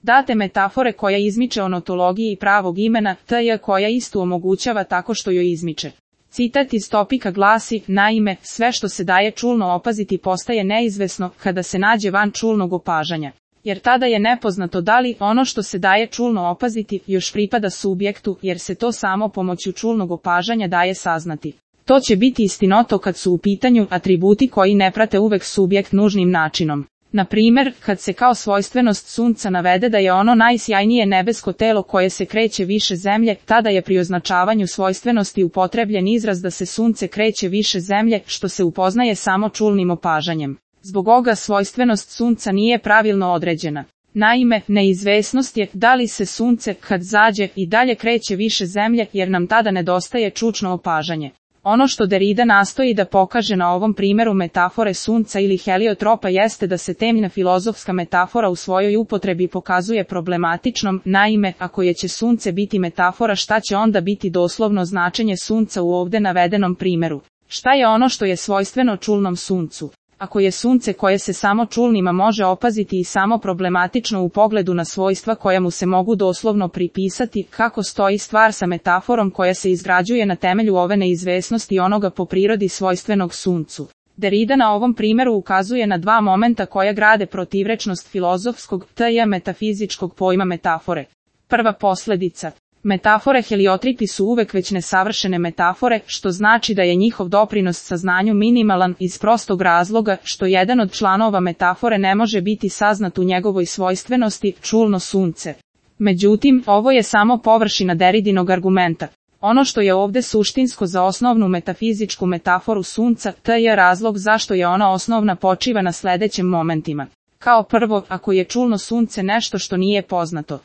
Date metafore koja izmiče onotologiji pravog imena, tj. koja istu omogućava tako što joj izmiče. Citat iz topika glasi, naime, sve što se daje čulno opaziti postaje neizvesno kada se nađe van čulnog opažanja. Jer tada je nepoznato da li ono što se daje čulno opaziti još pripada subjektu, jer se to samo pomoću čulnog opažanja daje saznati. To će biti istinoto kad su u pitanju atributi koji ne prate uvek subjekt nužnim načinom. Na primjer, kad se kao svojstvenost sunca navede da je ono najsjajnije nebesko telo koje se kreće više zemlje, tada je pri označavanju svojstvenosti upotrebljen izraz da se sunce kreće više zemlje, što se upoznaje samo čulnim opažanjem. Zbog ovoga svojstvenost sunca nije pravilno određena. Naime, neizvesnost je da li se sunce, kad zađe, i dalje kreće više zemlje, jer nam tada nedostaje čučno opažanje. Ono što Derrida nastoji da pokaže na ovom primjeru metafore sunca ili heliotropa jeste da se temeljna filozofska metafora u svojoj upotrebi pokazuje problematičnom, naime, ako je će sunce biti metafora, šta će onda biti doslovno značenje sunca u ovdje navedenom primjeru? Šta je ono što je svojstveno čulnom suncu? Ako je sunce koje se samo čulnima može opaziti i samo problematično u pogledu na svojstva koja mu se mogu doslovno pripisati, kako stoji stvar sa metaforom koja se izgrađuje na temelju ove neizvesnosti onoga po prirodi svojstvenog suncu? Derrida na ovom primjeru ukazuje na dva momenta koja grade protivrečnost filozofskog, tj. metafizičkog pojma metafore. Prva posljedica. Metafore heliotripi su uvek već nesavršene metafore, što znači da je njihov doprinos saznanju minimalan iz prostog razloga što jedan od članova metafore ne može biti saznat u njegovoj svojstvenosti, čulno sunce. Međutim, ovo je samo površina Derridinog argumenta. Ono što je ovdje suštinsko za osnovnu metafizičku metaforu sunca, je razlog zašto je ona osnovna počiva na sljedećim momentima. Kao prvo, ako je čulno sunce nešto što nije poznato,